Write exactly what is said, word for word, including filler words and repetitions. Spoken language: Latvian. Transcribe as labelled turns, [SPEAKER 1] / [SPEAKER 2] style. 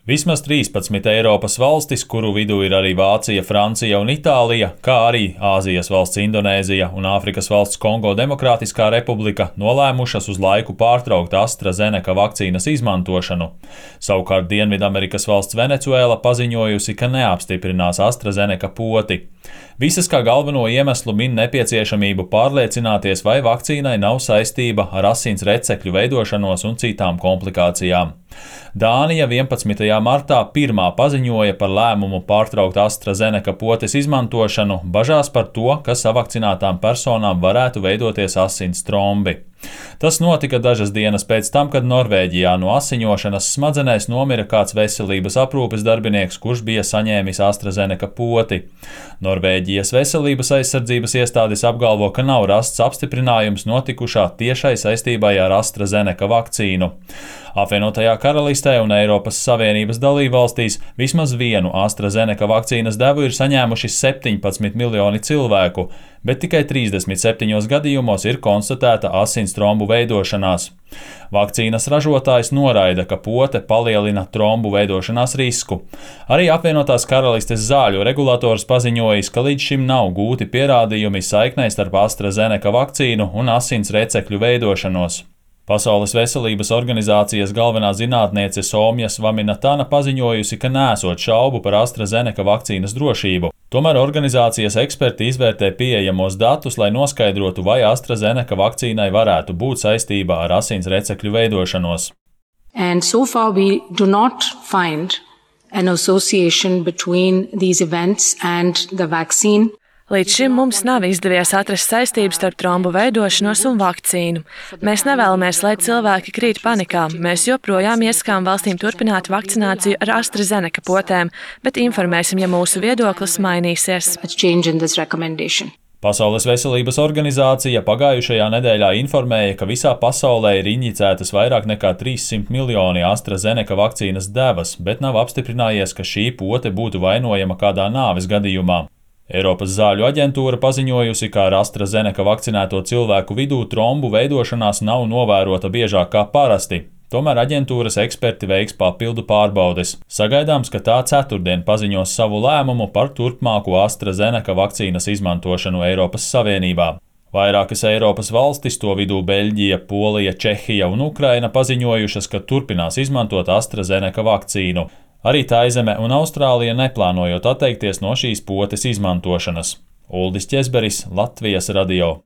[SPEAKER 1] Vismaz trīspadsmit Eiropas valstis, kuru vidū ir arī Vācija, Francija un Itālija, kā arī Āzijas valsts Indonēzija un Āfrikas valsts Kongo Demokrātiskā republika, nolēmušas uz laiku pārtraukt AstraZeneca vakcīnas izmantošanu. Savukārt Dienvidamerikas valsts Venecuēla paziņojusi, ka neapstiprinās AstraZeneca poti. Visas kā galveno iemeslu min nepieciešamību pārliecināties, vai vakcīnai nav saistība ar asins recekļu veidošanos un citām komplikācijām. Dānija vienpadsmitajā martā pirmā paziņoja par lēmumu pārtraukt AstraZeneca potes izmantošanu, bažās par to, ka savakcinātām personām varētu veidoties asins trombi. Tas notika dažas dienas pēc tam, kad Norvēģijā no asiņošanas smadzenēs nomira kāds veselības aprūpes darbinieks, kurš bija saņēmis AstraZeneca poti. Norvēģijas veselības aizsardzības iestādes apgalvo, ka nav rasts apstiprinājums notikušā tiešai saistībai ar AstraZeneca vakcīnu. Apvienotajā karalistē un Eiropas Savienības dalībvalstīs vismaz vienu AstraZeneca vakcīnas devu ir saņēmuši septiņpadsmit miljoni cilvēku, bet tikai trīsdesmit septiņos gadījumos ir konstatēta asins trombu veidošanās. Vakcīnas ražotājs noraida, ka pote palielina trombu veidošanās risku. Arī apvienotās karalistes zāļu regulators paziņojis, ka līdz šim nav gūti pierādījumi saiknei starp AstraZeneca vakcīnu un asins recekļu veidošanos. Pasaules veselības organizācijas galvenā zinātniece Somja Svaminatana paziņojusi, ka nesot šaubu par AstraZeneca vakcīnas drošību. Tomēr organizācijas eksperti izvērtē pieejamos datus, lai noskaidrotu, vai AstraZeneca vakcīnai varētu būt saistība ar asins recekļu veidošanos.
[SPEAKER 2] And so far we do not find an association between these events and the vaccine.
[SPEAKER 3] Līdz šim mums nav izdevies atrast saistības starp trombu veidošanos un vakcīnu. Mēs nevēlamies, lai cilvēki krīt panikā. Mēs joprojām iesakām valstīm turpināt vakcināciju ar AstraZeneca potēm, bet informēsim, ja mūsu viedoklis mainīsies.
[SPEAKER 1] Pasaules veselības organizācija pagājušajā nedēļā informēja, ka visā pasaulē ir injicētas vairāk nekā trīssimt miljoni AstraZeneca vakcīnas devas, bet nav apstiprinājies, ka šī pote būtu vainojama kādā nāves gadījumā. Eiropas zāļu aģentūra paziņojusi, ka ar AstraZeneca vakcinēto cilvēku vidū trombu veidošanās nav novērota biežāk kā parasti. Tomēr aģentūras eksperti veiks papildu pārbaudes. Sagaidāms, ka tā ceturtdien paziņos savu lēmumu par turpmāko AstraZeneca vakcīnas izmantošanu Eiropas Savienībā. Vairākas Eiropas valstis, to vidū Beļģija, Polija, Čehija un Ukraina, paziņojušas, ka turpinās izmantot AstraZeneca vakcīnu. Arī Taizeme un Austrālija neplānojot atteikties no šīs potes izmantošanas. Uldis Ķezberis, Latvijas radio.